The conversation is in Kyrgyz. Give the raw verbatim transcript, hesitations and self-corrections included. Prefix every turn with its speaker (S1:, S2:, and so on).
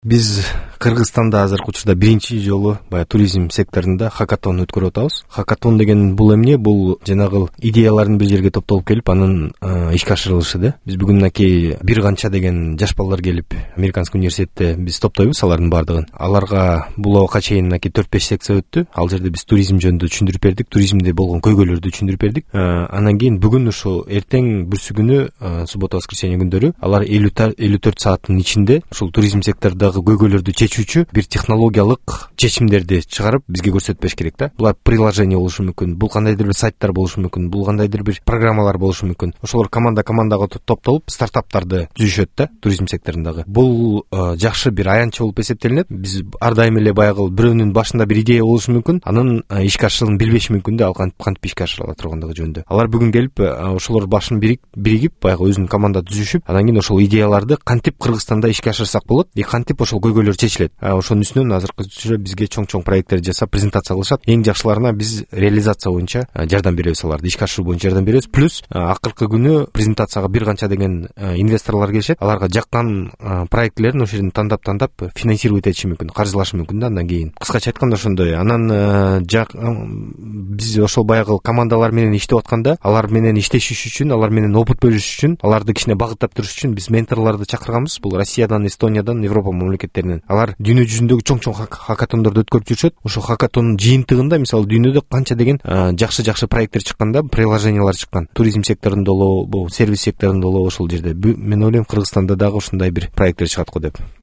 S1: Биз Кыргызстанда азыркы учурда биринчи жолу баягы туризм секторунда хакатон өткөрүп атабыз. Хакатон деген бул эмне? Бул жанагы идеялардын бир жерге топтолуп келип, анын ишке ашырылышы да. Биз бүгүн мынакей бир канча деген жаш балдар келип, Американский университетте биз топтойбуз алардын баардыгын. Аларга бул убакка чейин мынакей төрт беш секция өттү. Ал жерде биз туризм жөнүндө түшүндүрүп бердик, туризмде болгон көйгөйлөрдү түшүндүрүп бердик. Анан кийин бүгүн ушу эртең бүрсү күнү, суббота воскресенье күндөрү алар элүү төрт сааттын ичинде ушул туризм сектордогу көйгөйлөрдү чечүүчү бир технологиялык чечимдерди чыгарып бизге көрсөтпөш керек да. Булар приложение болушу мүмкүн, бул кандайдыр бир сайттар болушу мүмкүн, бул кандайдыр бир программалар болушу мүмкүн. Ошолор команда командага топтолуп стартаптарды түзүшөт да туризм секторундагы. Бул жакшы бир аянтча болуп эсептелинет. Биз ар дайым эле баягы бирөөнүн башында бир идея болушу мүмкүн, анын ишке ашырылышын билбеши мүмкүн да, ал кантип ишке ашырыла тургандыгы жөнүндө. Алар бүгүн келип, ошолор башын биригип, баягы өзүнүн команда түзүшүп, анан кийин ошол идеяларды кантип Кыргызстанда ишке ашырсак болот, и кантип ошол көйгөйлөр чечилет. Ошонун үстүнөн азыркы учурда бизге чоң-чоң проекттерди жасап, презентация кылышат. Эң жакшыларына биз реализация боюнча жардам беребиз, аларды ишке ашыруу боюнча жардам беребиз. Плюс акыркы күнү презентацияга бир канча деген инвесторлор келишет. Аларга жаккан проектилерин ошол жерден тандап-тандап финансировать этиши мүмкүн, каржылашы мүмкүн да андан кийин. Кыскача айтканда ошондой. Анан биз ошол баягы командалар менен иштеп атканда, алар менен иштешиш үчүн, алар менен опыт бөлүшүш үчүн, аларды кичине багыттап туруш үчүн биз менторлорду чакырганбыз. Бул Россиядан, Эстониядан, Европа мамлекеттеринен. Алар дүйнө жүзүндөгү чоң-чоң хакатондорду өткөрүп жүрүшөт. Ошол хакатондун жыйынтыгында, мисалы, дүйнөдө канча деген жакшы-жакшы проекттер чыкканда, приложениялар чыккан. Туризм секторунда болобу, сервис секторунда болобу ошол жерде. Мен ойлойм, Кыргызстанда дагы ушундай бир проекттер чыгат го деп.